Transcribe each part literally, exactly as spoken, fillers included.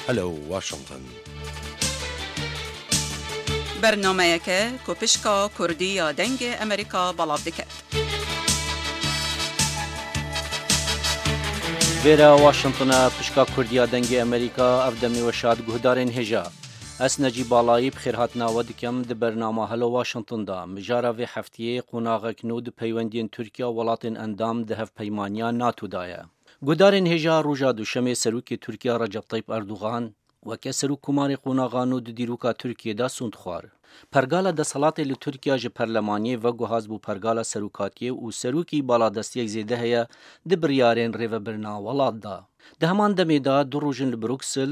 Hello Washington. Bernameyeke ku pişka Kurdî ya Dengê Amerîka belav dike. Vêre Washington e, pişka Kurdî ya Dengê Amerîka, ev demê we şad guhdarên hêja. Ez Necîb Balayî bi xêrhatina we dikim di bernama Hello Washington de. Mijara vê heftiyê qonaxek nû di peywendiyên Tirkiye û welatên endam di hevpeymaniya NATO de ye. Guhdarên hêja, roja Duşemê Serokê Tirkiye Recep Tayyip Erdogan weke Serokkomarê qonaxa nû di dîroka Tirkiyê de sûnd xwar. Pergala desthilatê li Tirkiye ji perlemaniyê veguhaz bû pergala serokatiyê û serokî baladestiyek zêde heye di biryarên rêvebirina welat de. Di heman demê de du roj in li Bruksel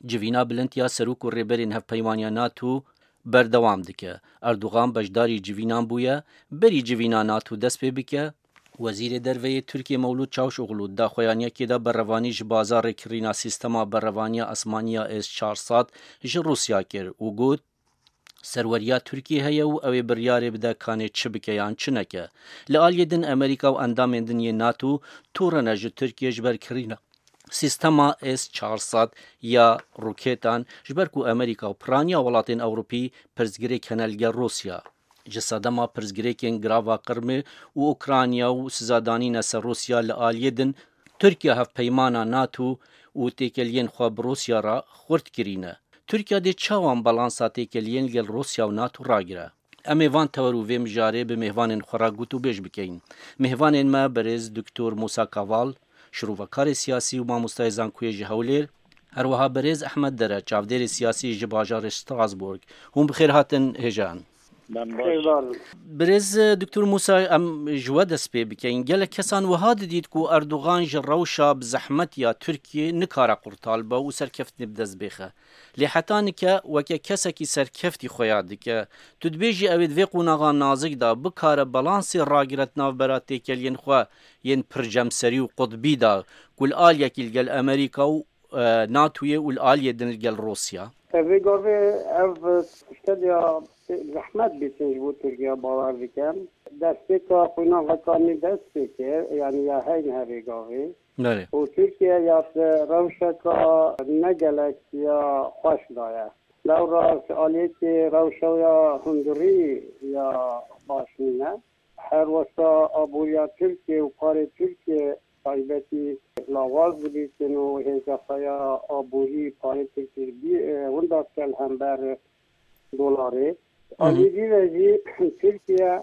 civîna bilind ya serok û rêberên hevpeymaniya NATO berdewam dike. Erdogan beşdarî civînan bûye, berî civîna NATO dest pê bike. Wezîrê Derve yê Tirkiyê Mewlûd Çavuşoglu di daxuyaniyekê de berevanî ji baza rêkirina sîstema berevaniya esmaniya S çar sed ji Rûsya kir û got, serweriya Tirkiyê heye û ew ê biryarê bide kanê çi bike yan çi neke. Li aliyê din Amerîka û endamên din yê NATO tûrine ji Tirkiyê ji ber kirina sîstema S çar sed ya roketan, ji ber ku Amerîka û piraniya welatên Ewropî pirsgirêk hene li gel Rûsya. Ji sedema pirsgirêkên girava Qirmê û Ukrayna û sizadanîne ser Rûsya li aliyê din, Tirkiye hevpeymana NATO û têkeliyên xwe bi Rûsya re xurt kirîne. Tirkiye dê çawa balansa têkeliyên li gel Rûsya û NATO ragire? Em ê van tewer û vê mijarê bi mêvanên xwe re gotûbêj bikeyin. Mêvanên me berêz Doktor Musa Kaval, şirovekarê siyasî û mamostayê zankoyê ji Hewlêr, her wiha berêz Ehmed Dere, çavdêrê siyasî ji bajarê Strasbourg. Hûn bi xêr hatin hêjan. Xêrdar. Birêz Doktor Musa, em ji we dest pê bikeyin. Gelek kesan wiha didît ku Erdogan ji rewşa bi zehmet ya Tirkiyê nikare qurtal be û serkeftinê bi dest bêxe. Lê heta nike weke kesekî serkeftî xuya dike. Tu dibêjî ew ê di vê qonaxa nazik de bikare balansê ragire di navbera têkeliyên xwe yên pircemserî û qutbî de ku li aliyekî li gel Amerîka û, e, NATOyê û li aliyê din li gel Rûsya? Vê gavê ev tişteliya zehmet bîtin ji bo Tirkiye bawer dikim. Destpêka qonaxeka nî dest pê kir, yanî ya heyne vê gavê. Belê. Û Tirkiye ya di rewşeka ne gelek ya xweş de ye. Lewra ji aliyekê rewşa ya hundirî ya baş nîne. Her wesa aboriya Tirkiye û parê Tirkiye taybetî lawaz dibîtin û hêza xwe ya aborî parê Tirkiye bî, e, winda dike li hember dolarê. Hı hı. Alî dî ve jî Tirkiye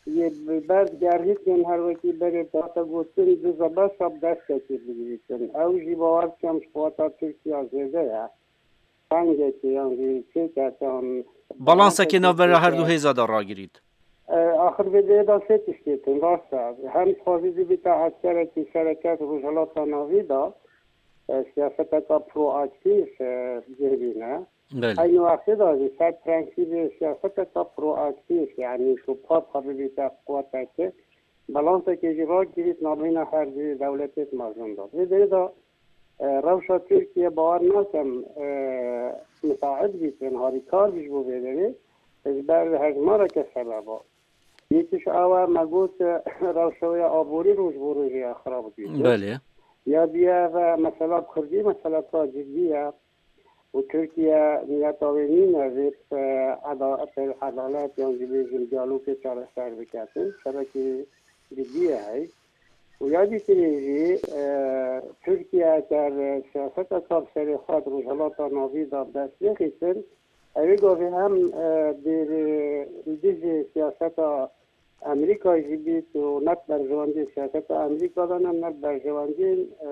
yê bi ber gerhîtin her wekî berê hate gotin, di zebesa bi destekê bigirîtin. Ew jî bawer dikim ji qeweta Tirkiye zêde ye. Tengekê yan jî têkete an balansekê navbera her du hêza de ragirît. E, axir vê derê de sê tiştê tin, rast e. Hem dixwazî bibîte eskerekî sereket Rojhilata Navî de, e, siyaseteka proaktîf, e, cih bîne. Belê. Eynî wextê de jî ser prensîbê siyaseteka proaktîf, yanî ku pap xwe bibîte quweteke, balansekê jî ragirît nabeyna her du dewletê di mezin de. Vê derê de, e, rewşa Tirkiye bawer nakim, e, misaid bîtin, harîkar bî ji bo vê derê, ji ber hejmareke sebeba. Yekî ji ew e, me got, e, rewşa wê ya aborî roj bo rojê ya xirab dibîtin. Belê. Ya diye ve mesela Kurdî meseleka cidî ye. Û Tirkiye niyeta wê nîne vê, e, eda-, edalet yan jî bêjin diyalogê çareser biketin. Şerekî cidî ye hey. Û ya dîtirê jî, e, Tirkiye eger siyaseteka bi serê xwe di Rojhilata Navî de bi dest nexîtin, ew ê gavê hem, e, dê li dijî siyaseta Amerîkayê jî bît û ne bi berjewendiyê siyaseta Amerîka de ne, ne bi berjewendiyên, e,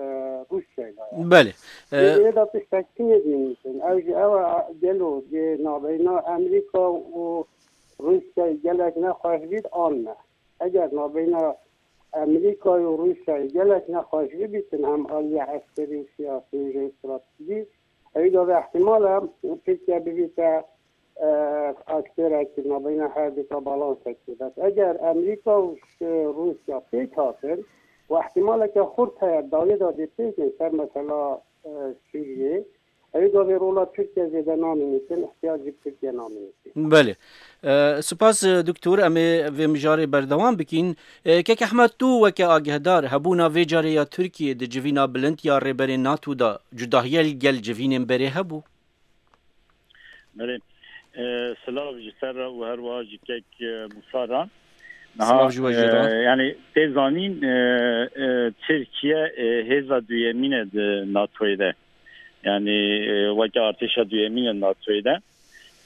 Rûsyayê de ye. Belê. Lê E, vê de tiştek din ê dînîtin. Ew jî ew e, gelo dê nabeyna Amerîka û Rûsyayê gelek nexweş bît an ne? Eger nabeyna Amerîkayê û Rûsyayê gelek nexweş bibîtin hem aliyê eskerî û siyasî û jeostratejî, ew da vê ihtimal e Tirkiye bibîte, e, aktorekî nabeyna her du ta balansekî. Bes eger Amerîka û, e, Rûsya pêk hatin û ihtimaleke xurt heye dawiyê de dê pêkên ser mesela, e, Sûriyê, Ew gavê rola Tirkiye zêde namînîtin, ihtiyac jî bi Tirkiye namînîtin. Belê. E, spas, e, doktor, em ê vê mijarê berdewam bikîn. E, Kek Ehmed, tu weke agehdar, hebûna vê carê ya Tirkiye di civîna bilind ya rêberên nato de cudahiye li gel civînên berê hebû? Belê. E, silav ji te re û her wiha ji kek, e, Musa re. Niha, Silav ji we jî re. E, yani tê zanîn, e, e, Tirkiye, e, hêza duyemîn e di natoyê de. Yani, e, weke artêşa duyemîn e natoyê de.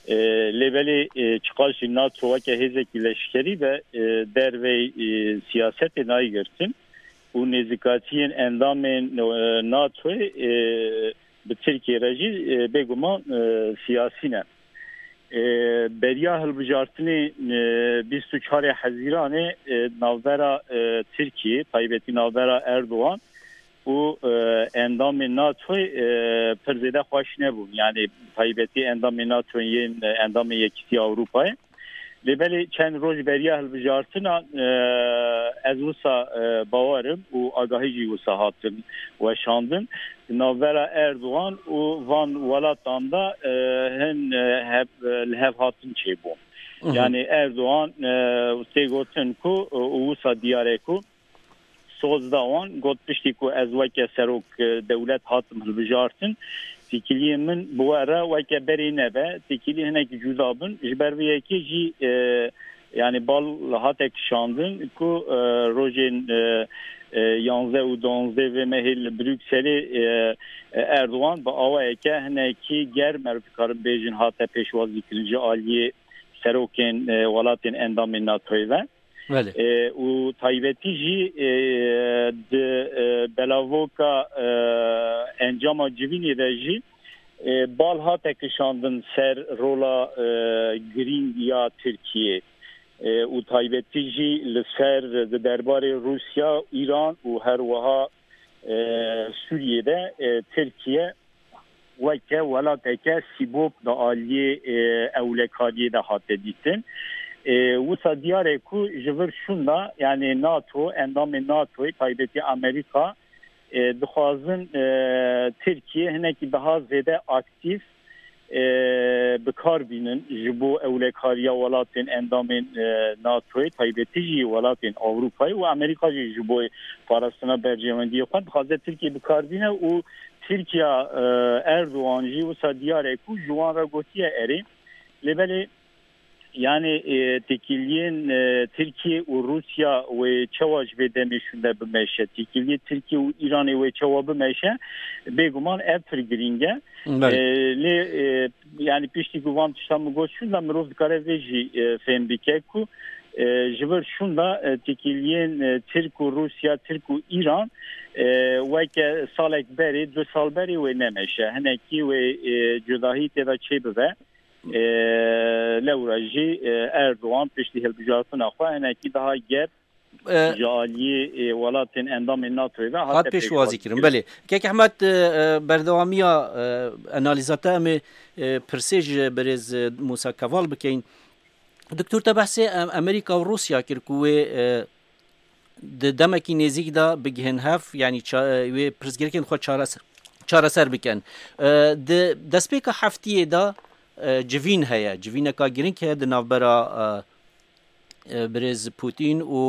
E, lê belê, e, çiqas jî nato weke hêzekî leşkerî be, e, dervey, e, siyasetê nayê girtin û nêzîkatiyên endamên, e, natoyê, e, bi Tirkiye re jî, e, bêguman, e, siyasî ne. E, beriya hilbijartinê, e, bîst û çarê Hezîranê, e, navbera, e, Tirkiye, taybetî navbera Erdogan û, e, endamên natoyê, e, pir zêde xweş nebûn. Yani taybetî endamên natoyê yên, e, endamên Yekîtiya Ewropayê. Lê belê çend roj beriya hilbijartina, e, ez wisa, e, bawer im û agahî jî wisa hatin weşandin. Di navbera Erdogan û van welatan de, e, hin, e, hev, e, li hev hatin çêbû. Mhm. Yani Erdogan, e, tê gotin ku, e, û wisa diyar e ku soz da wan, got, piştî ku ez weke serok, e, dewlet hatim hilbijartin, têkiliyên min bi we re weke berê nebe, têkilî hinek cuda bin. Ji ber vê yekê jî, e, yani bal hate kişandin ku, e, rojên, e, e, yanzdeh û duwazdeh vê mehê li Brukselê, e, e, Erdogan bi awayeke hinekî germ, ez dikarim bêjin, hate pêşwazîkirin ji aliyê serokên, e, welatên endamên natoyê ve. Belê. E, û taybetî jî, e, di, e, belavoka, e, encama civînê de jî, e, bal hate kişandin ser rola, e, girîng ya Tirkiyê. E, û taybetî jî li ser di derbarê Rûsya, Îran û her wiha, e, Sûriyê de, e, Tirkiye weke welateke sîbop di aliyê, e, ewlekariyê de hate dîtin. E, wisa diyar e ku ji vir şûnda, yani nato, endamên natoyê, taybetî Amerîka, e, dixwazin, e, Tirkiye hinekî daha zêde aktîf, e, bi kar bînin ji bo ewlekariya welatên endamên, e, natoyê, taybetî jî welatên Ewropayê û Amerîka jî ji bo parastina berjewendiyê xwe dixwaze Tirkiye bi kar bîne û Tirkiya, e, Erdogan jî wisa diyar e ku ji wan re gotiye erê. Lê belê, yani, e, têkiliyên, e, Tirkiye û Rûsya wê çawa ji vê demê şûnde bimeşe? Têkiliyê Tirkiye û Îranê wê çawa bimeşe? Bêguman ev pir girîng e. Belê. E, lê, e, yani piştî ku van tişta min got şûnda, mirov dikare vê jî, e, fêm bike ku, e, ji vir şûnda, e, têkiliyên, e, Tirk û Rûsya, Tirk û Îran, e, weke salek berê, du sal berê wê nemeşe. Hinekî wê, e, cudahî tê de çêbibe. E, lewra jî, e, Erdogan piştî hilbijartina xwe hinekî daha germ E, ji aliyê, e, welatên endamên natoyê ve hat hate pêşwazî kirin. Belê. Kek Ehmed, e, e, berdewamiya, e, analîza te em ê, e, pirsê ji birêz, e, Musa Keval bikeyin. Doktor, te behsê, e, Amerîka û Rûsya kir ku wê, e, di demekî nêzîk de bigihên hev, yanî ça-, e, wê pirsgirêkên xwe çareser, çareser bikin. E, di destpêka heftiyê de, e, civîn heye, civîneka girîng heye di navbera, e, e, birêz Putin û,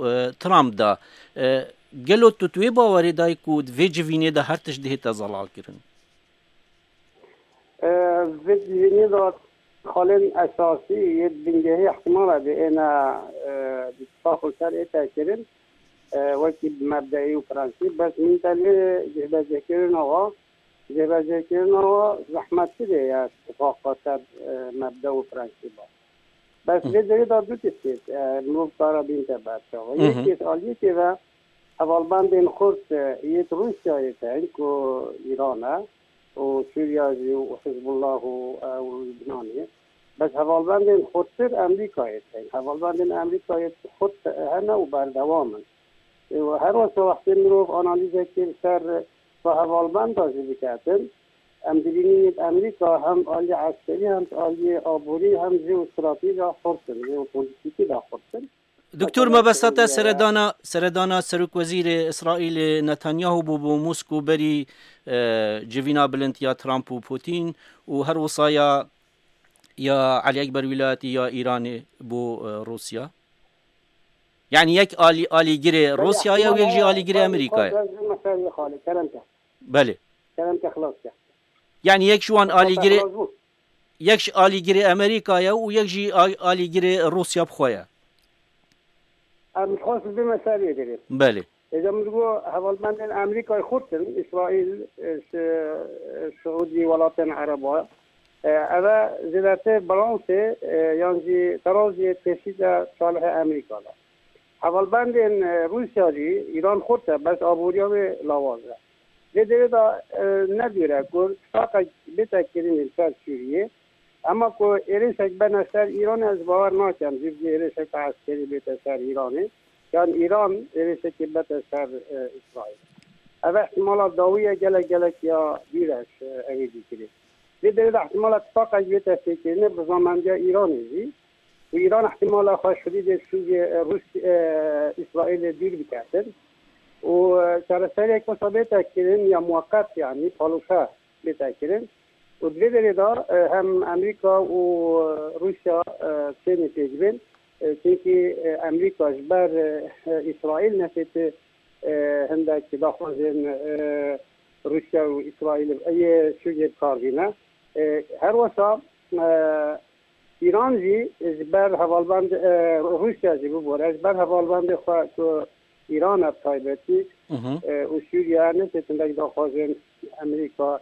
e, Trump de. E, gelo tu, tu wê bawerê dayî ku di vê civînê de her tişt dihête zelalkirin? E, vê civînê de xalên esasî yê bingehî ihtimala dê êne, e, di tifaqa ser ête kirin, e, wekî mebdeî û prensîp. Bes min te lê cihbecêkirina wa, cihbecêkirina wa zehmettirê ye tifaqa ser, e, mebde û prensîba. Bes Hı. vê derê de du tiştê, e, mirov kara bînte berçava. Hı hı. Yekê aliyekê ve hevalbendên xurt, e, yêt Rûsyayê tên ku Îran e û Sûriya jî û Hizbullah û, e, û Lubnanê. Bes hevalbendên xurttir Amerîkayê tên. Hevalbendên Amerîkayê xurt hene û berdewam in. Ê, her wesa wextê mirov analîzekê li ser va hevalbenda jî biketin, em dibînin Amerîka hem aliyê eskerî, hem aliyê aborî, hem jî û stratejî de xurt in, jî û polîtîkî de xurt in. Doktor, mebesta te seredana, seredana Serokwezîrê Îsraîlê Netanyahu bû bo Moskow berî, e, civîna bilind ya Trump û Putin û her wisa ya, ya Elî Ekber Wîlayetî ya Îranê bo, e, Rûsya. Yani yek alî-, alîgirê Rûsya ye û yek jî alîgirê Amerîka ye. Belê. Yani yek ji wan alîgirê, yek ji alîgirê Amerîka ye û yek jî a-, alîgirê Rûsya bi xwe ye. Em dixwest bime ser vê derê. Belê. Êca min digo hevalbendên Amerîkayê xurt in, Îsraîl, e, Şi-, e, Siûdî, welatên Ereba. E, ev e zêdetir balansê, e, yan jî teraziyê pêşî de salihê Amerîka de. Hevalbendên, e, Rûsya jî, Îran xurt e, bes aboriya wê lawaz e. Lê derê de, e, nedûre ku tifaqek bête kirin li ser Sûriyê, Ema ku êrişek bene ser Îranê ez bawer nakim, jî vê êrişeka eskerî bête ser Îranê, yan Îran êrişekê bete ser, e, Îsraîl. Ev ihtimala dawî ye, gelek gelek ya dûr e, e, evê dîkirê. Lê derê de ihtimala tifaqek bête pêkirinê bi rizamendiya Îranê jî. Û Îran ihtimala xwe ji hudûdê Sûriyê, e, Rûs-, e, Îsraîlê dûr biketin. Û, e, çareseriyek wisa bête kirin ya muweqet, yanî paloşe bête kirin. Û di vê derê de, e, hem Amerîka û, e, Rûsya, e, têne pêkbin. E, çunkî, e, Amerîka ji ber, e, e, Îsraîl nefêti, e, hindek daxwazên, e, Rûsya û Îsraîl yê Sûriyê bi kar tîne. E, her wisa, e, Îran jî ji ber hevalbend, e, Rûsya jî bibore, ji ber hevalbendê xwe ku Îran e bi taybetî, Hı hı. e, û Sûriye nefêtin hindek daxwazên Amerîka,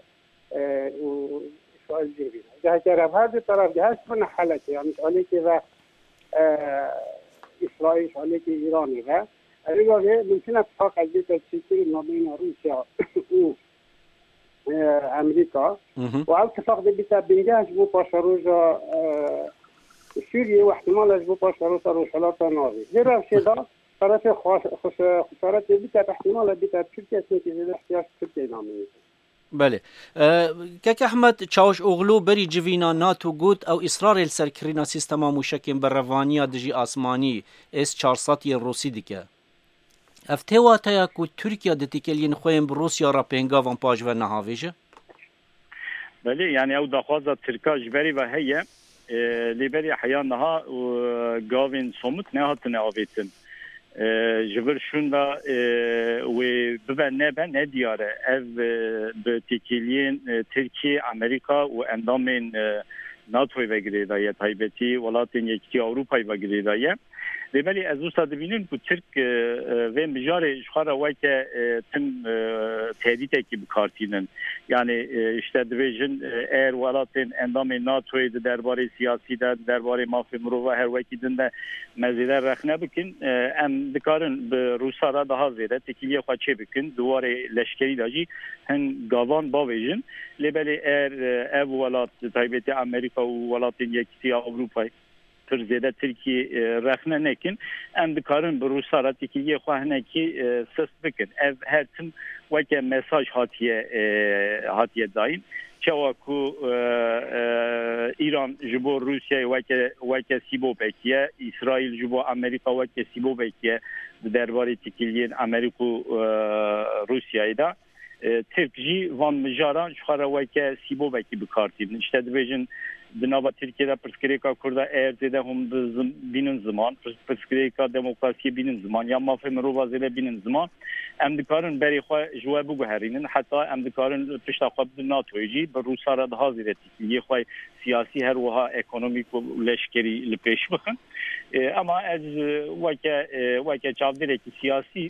e, û Îsraîl cih bîne. Cihekê re her du teref gihişt bûne helekê, yanî ji alîkê ve, e, Îsraîl, ji alîkê Îranê ve. Ev gavê mumkin e tifaqek bête çêkirin navbeyna Rûsya û, e, Amerîka. Hı hı. Û ev tifaq dê bîte bingeh ji bo paşeroja, e, Sûriyê û ihtimale ji bo paşeroja Rojhilata Navî. Vê rewşê de terefê xwe-, xwe-, xesaretê bîte, ihtimale bîte Tirkiye, çunkî zêde ihtiyac Tirkiye nameyî. Belê. E, Kek Ehmed Çawuşoglu berî civîna NATO got, ew îsrarê li ser kirîna sîstema mûşekên berevaniya dijî asmanî S çar sed yên Rûsî dike. Ev tê wateya ku Tirkiye di têkiliyên xwe yên bi Rûsya re pêngavan paşve nehavêje? Belê, yani ew daxwaza Tirka ji berî ve heye, e, lê berî heya niha, e, gavên somut nehatine avêtin. E, ji vir şûnda, e, wê bibe nebe ne diyar e. Ev, e, bi têkiliyên, e, Tirkiye, Amerîka û endamên, e, NATOyê ve girêdaye, taybetî welatên Yekîtiya Ewropayê ve girêdaye. Lê belê ez wisa dibînim ku Tirk, e, e, vê mijarê ji xwe re weke, e, tim, e, tehdîtekî bi kar tînin. Yani, e, işte dibêjin, e, eğer welatên endamên NATOyê di derbarê siyasî de, di derbarê mafê mirova her wekî din de me zêde rexne bikin, e, em dikarin bi Rûsa re daha zêde têkiliyê xwe çê bikin. Di warê leşkerî de jî hin gavan bavêjin. Lê belê eğer, e, ev welat, bi taybetî Amerîka û welatên Yekîtiya Ewropayê, pir zêde Tirkiyê, e, rexne nekin, em dikarin bi Rûsa re têkiliyê xwe hinekî, e, sist bikin. Ev her tim weke mesaj hatiye, e, hatiye dayîn. Çawa ku, e, e, Îran ji bo Rûsyayê weke, weke sîbobekî ye, Îsraîl ji bo Amerîka weke sîbobekî ye di derbarê têkiliyên Amerîka û, e, Rûsyayê de. E, Tirk jî van mijaran ji xwe re weke sîbobekî bi kar tînin. Îşte dibêjin, di nava Tirkiyê de pirsgirêka Kurda eğer zêde hûn bi zim-, bînin ziman, pirs-, pirsgirêka demokrasiyê bînin ziman, ya mafê mirova zêde bînin ziman, em dikarin berê xwe ji we biguherînin, heta em dikarin pişta xwe bidin NATOyê jî, bi Rûsa re daha zêde têkiliyê xwe siyasî, her wiha ekonomîk û leşkerî li pêş bixin. E, ema ez, e, weke, e, weke çavdêrekî siyasî,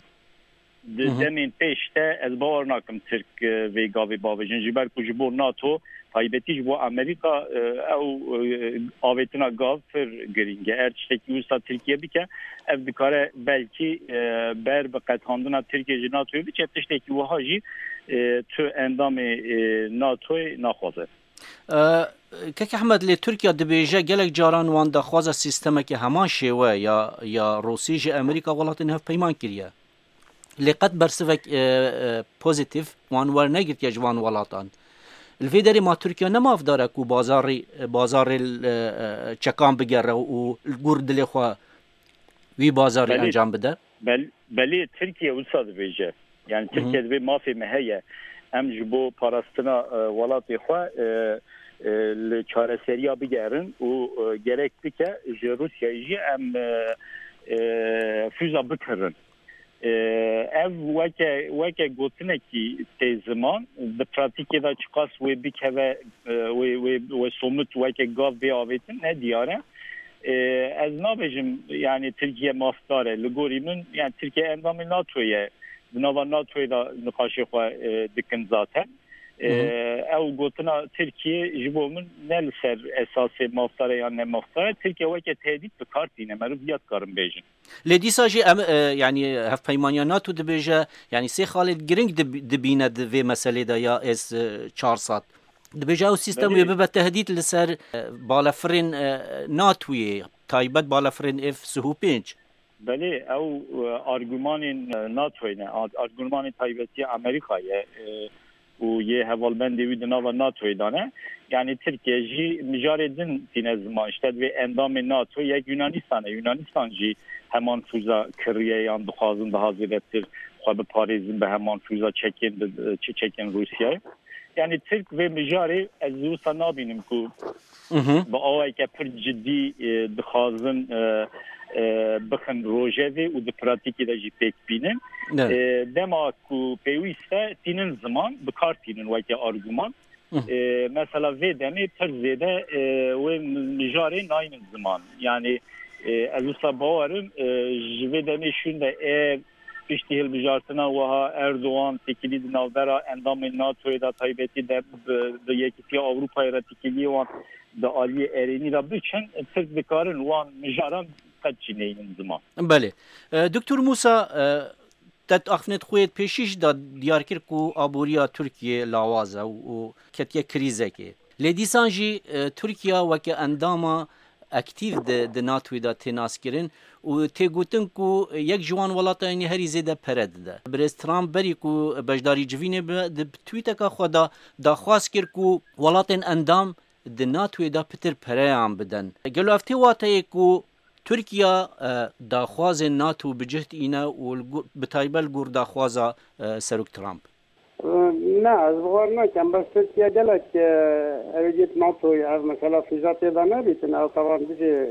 di Hı hı. demên pêş de ez bawer nakim Tirk, e, vê gavê bavêjin. Ji ber ku ji bo NATO, taybetî ji bo Amerîka, e, ew, e, avêtina gav pir girîng e. Eğer tiştekî wisa Tirkiye bike, ev dikare belkî, e, ber bi qetandina Tirkiye ji NATOyê biçe, tiştekî wiha jî, e, tu endamê, e, NATOyê naxwaze. E, Kek Ehmed, lê Tirkiye dibêje gelek caran wan daxwaza sîstemeke heman şêwe ya, ya Rûsî ji Amerîka welatên hevpeyman kiriye. Lê qet bersivek, e, e, pozîtîf wan wernegirtiye ji van welatan. Li vê derê ma Tirkiye ne mafdar e ku bazarî, bazarê, e, e, çekan bigere û li gor dilê xwe wî bazarî Belê. encam bide? Bel-, belê Tirkiye wisa dibêje. Yani Hı hı. Tirkiye dibê mafê me heye. Em ji bo parastina, e, welatê xwe, e, e, li çareseriya bigerin û, e, gerek bike ji Rûsyayê jî em, e, e, füza bikirin. E, ev weke, weke gotinekî tê ziman, di pratîkê de çiqas wê bikeve, e, wê, wê, wê somit weke gav bê avêtin, ne diyar e. E, ez nabêjim, yani Tirkiye mafdar e. Li gorî min, yani Tirkiye endamê NATO ye. Di nava NATOyê de nîqaşê xwe, e, dikin zaten. E, Hı hı. Ew gotina Tirkiye ji bo min ne li ser esasê mafdar e yan ne mafdar e. Tirkiye weke tehdît bi kar tîne. Meriv viya dikarin bêjin. Lê dîsa jî em, e, yanî hevpeymaniya NATO dibêje, yanî sê xalê giring dib-, dibîne di vê meselê de ya S çar sed. Dibêje ew sîstem Belê. wê bibe tehdît li ser, e, balefirên, e, NATOyê, taybet balefirên F sih û pênc. Belê, ew, e, argumanên, e, NATOyê ne, ar-, argumanên taybetî Amerîkayê, e, û yê hevalbendê wî di nava NATOyê de ne. Yani Tirkiye jî mijarê din tîne ziman. İşte divê endamê NATO yek Yunanistan e. Yunanistan jî heman füza kiriye yan dixwazin daha zêdetir xwe biparêzin bi heman füza çekên bi, çi çekên Rûsyayê. Yani Tirk vê mijarê ez wisa nabînim ku Mhm. bi awayeke pir cidî, e, dixwazin, e, e, bixin rojevê û di pratîkê de jî pêk bînin. Evet. E, dema ku pêwîst e tînin ziman, bi kar tînin weke arguman. Hı. E, mesela vê demê pir zêde, e, wê mijarê naynin ziman. Yani, e, ez wisa bawerim, e, ji vê demê şûn de ev piştî hilbijartina wiha Erdogan têkilî di navbera endamên NATOyê de taybetî de bi, bi Yekîtiya Ewropayê re têkiliyê wan di aliyê erênî de biçin, Tirk dikarin wan mijaran qet jî neynin ziman. Belê. E, Doktor Musa, e, te di axiftinê xwe yê pêşî jî de diyar kir ku aboriya Tirkiyê lawaz e û, û ketiye krîzekê. Lê dîsan jî, e, Tirkiye weke endama aktîf di, di NATOyê de tê naskirin û tê gotin ku yek ji wan welatan herî zêde pere dide. Birêz Trump berî ku beşdarî civînê bibe, di tweeteka xwe de daxwaz kir ku welatên endam di NATOyê de pitir pereyan bidin. Gelo ev tê wateyê ku Tirkiye, e, daxwazên NATO bi cih tîne û li gu-, bi taybet li gor daxwaza, e, Serok Trump? Ne, ez bi xwe nakim. Bes Tirkiye gelek, e, ew ê dît NATOyê ev mesela fîza tê de nebîtin. Ew tevan bijê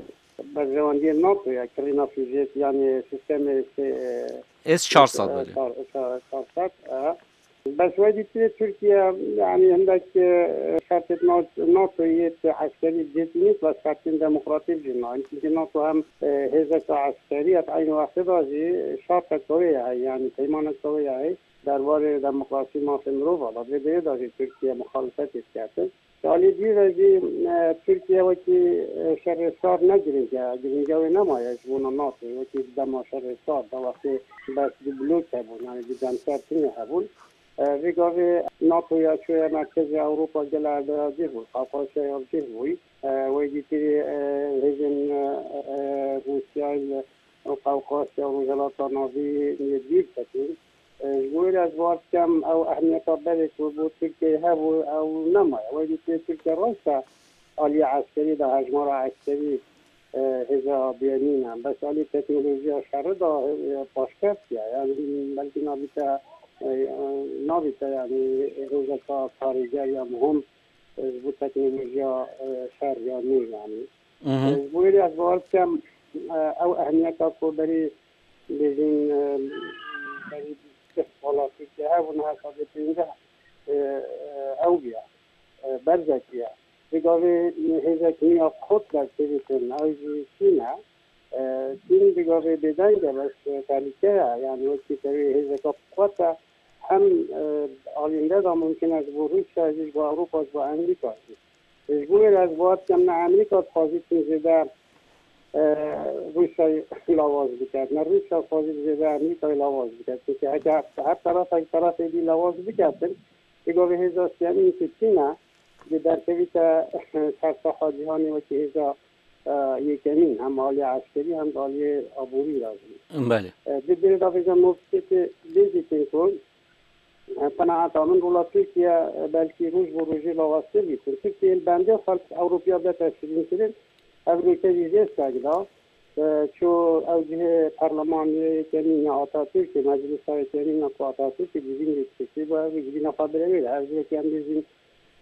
berjewendiyê NATOyê, kirîna fîzê, yanî sîstemê sê, e, S çar sed e, belê. Çar, çar, çar sed, e. Bes wê dîtiyê Tirkiye, yanî hindek, e, şertê NATO, NATOyê tê eskerî cêtînî, bes şertên demokratîk jî nayên. Çimkî NATO hem, e, hêzeka eskerî ye, di eynî wextê de jî şerteke wê ye, yanî peymaneke wê ye. Derbarê demokrasî, mafê mirova de, vê derê de jî Tirkiye muxalifetê diketin. Ji alî dî ve jî, e, Tirkiye wekî, e, şerê sar ne giring e, giringiya wê nemaye ji bona NATO, wekî dema şerê sar de wextê bes du blok hebûn, yanî du demser tune hebûn. E, vê gavê NATO ya çûye merkezê Ewropa gel erdaya cih bû, Qafqasya ya cih bû. E, wê dîtirî, e, hêzên, e, e, Rûsyayê û Qafqasya û Rojhilata Navî yê dîr ketin. E, ji bo wê re ez bawer dikim ew ehmiyeta berê ku bo Tirkiyeyê hebû, ew nemaye. Wê dîtê Tirkiye rast e aliyê eskerî de hejmara eskerî, e, hêza bênîn e. Bes aliyê teknolojiya şerî de, e, paşkeft e. Yani belkî nabîte, e, nabîte yani hêzeka karîger ya muhim, e, ji bo teknolojiya, e, şer ya nû yani. Mhm. E, ji bo wê re ez bawer dikim, e, ew ehmiyeta ku berî bêjin, e, berî bîst sala Tirkiye hebû, niha sedê pênceh, e, e, ew bûye, e, berzekî ye. Vê gavê hêzek nû ya qut derkevîtin, ew jî Çîn e. E, Çîn vê gavê bêdeng e, bes, e, tehlîke ye. Yani wekî tevî hêzeka qut e, hem, e, alînde de mumkin e ji bo Rûsya jî, ji bo Ewropa, ji bo Amerîka jî. Ji bo wê re ez bawer dikim ne Amerîka dixwazî tim zêde, e, Rûsyayê lawaz biket, ne Rûsya dixwazî zêde Amerîkayê lawaz biket. Çimkî heke her terefek terefê dî lawaz biketin, vê gavê hêza siyemîn ku Çîn e, dê derkevîte ser saha cîhanê wekî hêza, e, yekemîn, hem aliyê eskerî hem de aliyê aborî re jî. Belê. E, di dê de vêca noktekê bêjîtin ku Qenaeta min, rola Tirkiye, e, belkî roj bo rojê lawaztir bîtin. Tirkiye li bendê xelk Ewropiya bidete şirînkirin, ev rûyke jî jê seng da. e, çû ew cihê perlemanê yekemîn ya Atatürkê, meclisa yekemîn ya ku Atatürkê civîn lê dikiştî, bo ev civîna xwe birevê de. Ev cihekî em bêjin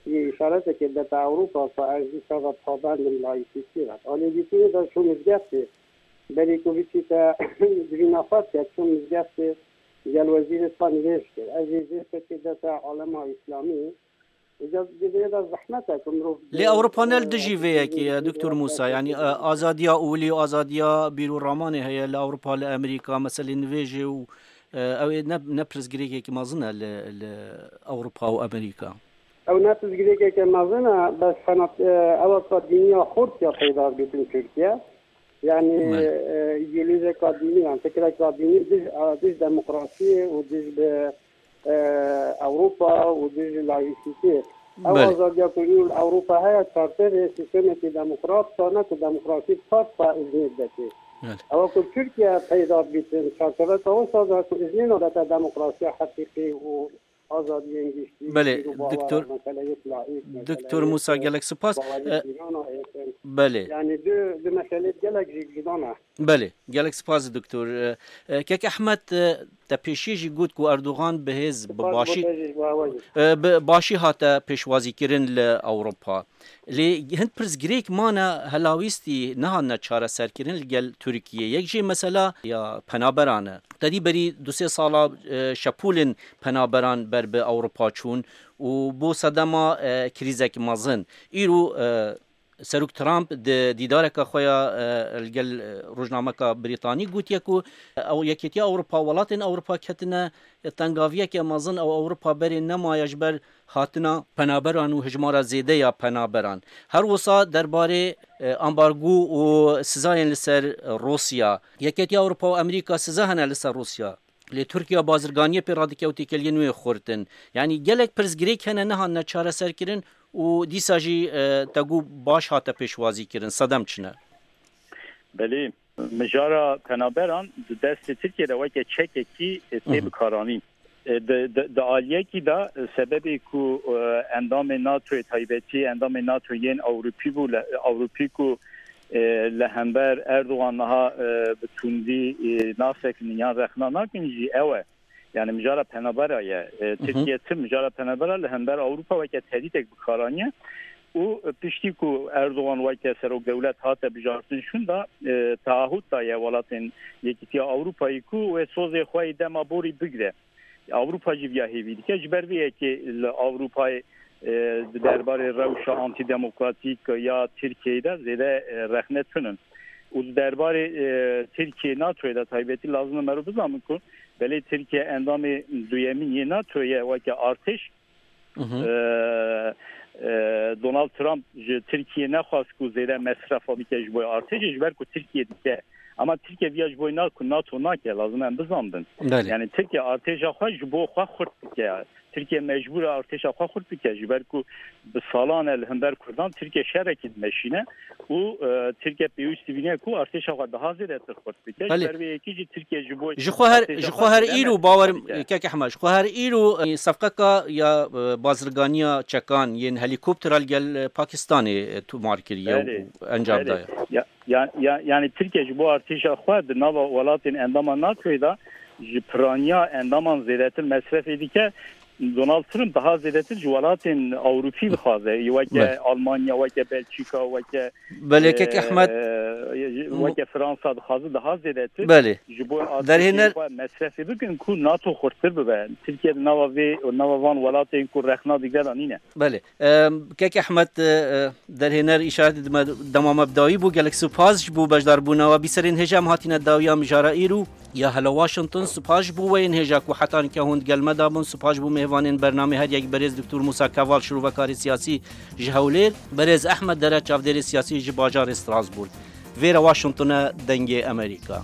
yê îşaretekê dete Ewropa, ku ez dîsa ve pabendim laîsîtiyê ve. Alê dîtinê de çû mizgeftê. Berî ku biçîte civîna xwe dike, çû mizgeftê gel wezîrê xwe nivêj kir. Ev jî zêfekê dete alema îslamî. Îca di vê de zehmet e ku mirov Lê Ewropa ne li dijî vê yekê ye, Doktor Musa. Yanî, e, azadiya olî û azadiya bîr û ramanê heye li Ewropa, li Amerîka, meselê nivêjê û, e, ew ê ne, ne pirsgirêkekî mezin e li, li Ewropa û Amerîka. Ew ne pirsgirêkeke mezin e, bes xenat, e, ew ka dîniya xurt ya peyda bitin Tirkiye. Yanî, Belê. e, îdeolojiyeka dînî, yan fikreka dînî dij, a, dij demokrasiyê û dij bi, e, Ewropa û dij laîsîtê. Ew Belê. azadiya ku îro li Ewropa heye, çarçevê sîstemekî demokrat, sane ku demokrasî bi xwe xwe îznê didetê. Belê. Ewa ku Tirkiye peyda bitin, çarçeveka wisa da ku îznê nadete demokrasiya heqîqî û azadiyên giştî, Belê, pîr û bawer, Doktor, meseleyek laîk, Doktor meseleyek, Musa, e, gelek spas. baweriyê E, pîrana êtin. Belê. Yani du, du meselê gelek jî cuda ne. Belê, gelek spas, Doktor. E, e, Kek Ehmed, e, te pêşiyê jî got ku Erdogan bi hêz, bi Spas bo başî, te jî, bo hewa jî. e, bi başî hate pêşwazîkirin li Ewropa. Lê hin pirsgirêk mane helawîstî nehatine çareserkirin li gel Tirkiyê. Yek jê mesela ya penaberan e. Tedî berî du sê sala, e, şepûlên penaberan ber bi Ewropa çûn û bû sedema, e, krîzek mezin. Îro, e, Serok Trump di dîdareka xwe ya, e, li gel, e, rojnameka Brîtanî gotiye ku ew Yekêtiya Ewropa, welatên Ewropa ketine tengaviyeke mezin, ew Ewropa berê nemaye ji ber hatina penaberan û hijmara zêde ya penaberan. Her wisa derbarê, e, ambargo û sizayên li ser Rûsya. Yekêtiya Ewropa û Amerîka siza hene li ser Rûsya. Lê Tirkiye bazirganiyê pê radike û têkeliyên wê xurt in. Yanî gelek pirsgirêk hene nehatine çareserkirin û dîsa jî, e, te got baş hate pêşwazîkirin. Sedem çi ne? Belê, mijara penaberan di destê Tirkiyê de weke çekekî, e, tê Hı hı. bikaranîn. E, di, di, di aliyekî de, e, sebebê ku, e, endamên NATOyê taybetî, endamên NATO yên Ewropî bû, li, Ewropî ku, e, li hember Erdogan niha, e, bi tundî, e, nasekinin yan rexna nakin jî ew e. Yani mijara penabera ye. E, Hı hı. Tirkiye tim mijara penabera li hember Ewropa weke tehdîtek bikaraniye. Û piştî ku Erdogan weke serok dewlet hate bijartin şûnda, e, taahût daye welatên Yekîtiya Ewropayê ku wê sozê xwe yê dema borî bigire. Ewropa jî viya hêvî dike. Ji ber vê yekê li Ewropayê, e, di derbarê rewşa antîdemokratîk ya Tirkiyeyê de zêde, e, rexne tunin. Û di derbarê, e, Tirkiye NATOyê de taybetî lazim e mero bizanin ku belê Tirkiye endamê duyemîn yê NATO ye weke artêş. Hı hı. E, e, Donald Trump ji Tirkiye nexwast ku zêde mesrefa bike ji bo artêşê, ji ber ku Tirkiye dike. Ama Tirkiye viya ji bo na-, ku NATO nake, lazim em bizandin. Belê. Yani Tirkiye artêşa xwe ji bo xwe xurt dike. Tirkiye mecbûr e artêşa xwe xurt bike, ji ber ku bi salan e li hember Kurdan Tirkiye şerekî dimeşîne û, e, Tirkiye pêwîst dibîne ku artêşa xwe daha zêdetir xurt bike. Belê. Ji ber vê yekê jî Tirkiye ji bo Ji xwe her, artêşa ji xwe xwe her zêde îro mesrefa bawer, bike. Kek Ehmed, ji xwe her îro, e, sefqeka ya, e, bazirganiya çekan yên helîkoptera li gel, e, Pakistanê, e, tomar kiriye Belê. û encam Belê. daye. Ya, ya, ya, yani Tirkiye ji bo artêşa xwe di nava welatên endama NATOyê de ji piraniya endaman zêdetir mesrefê dike. Donald Trump daha zêdetir ji welatên Ewropî dixwaze. Weke Belê. Almanya, weke Belçîka, weke, Belê, Kek e, Ehmed, weke Fransa dixwaze daha zêdetir Belê. ji bo Derhêner artêşê xwe mesrefê bikin ku NATO xurttir bibe. Tirkiye di nava vê, nava van welatên ku rexna digre de nîne. Belê. Em, Kek Ehmed, e, e, derhêner îşaretî dime dema me bi dawî bû. Gelek spas ji bo beşdarbûna we. Bîserên hêja em hatine dawiya mijara îro ya Hello Washington. Spas ji bo we yên hêja ku heta nike hûn di gel me de bûn. Spas ji bo mêvanên bernamê, her yek berêz Doktor Musa Keval, şirovekarê siyasî ji Hewlêr, berêz Ehmed Dere, çavdêrê siyasî ji bajarê Strasbourg. Vêre Washington e, Dengê Amerîka.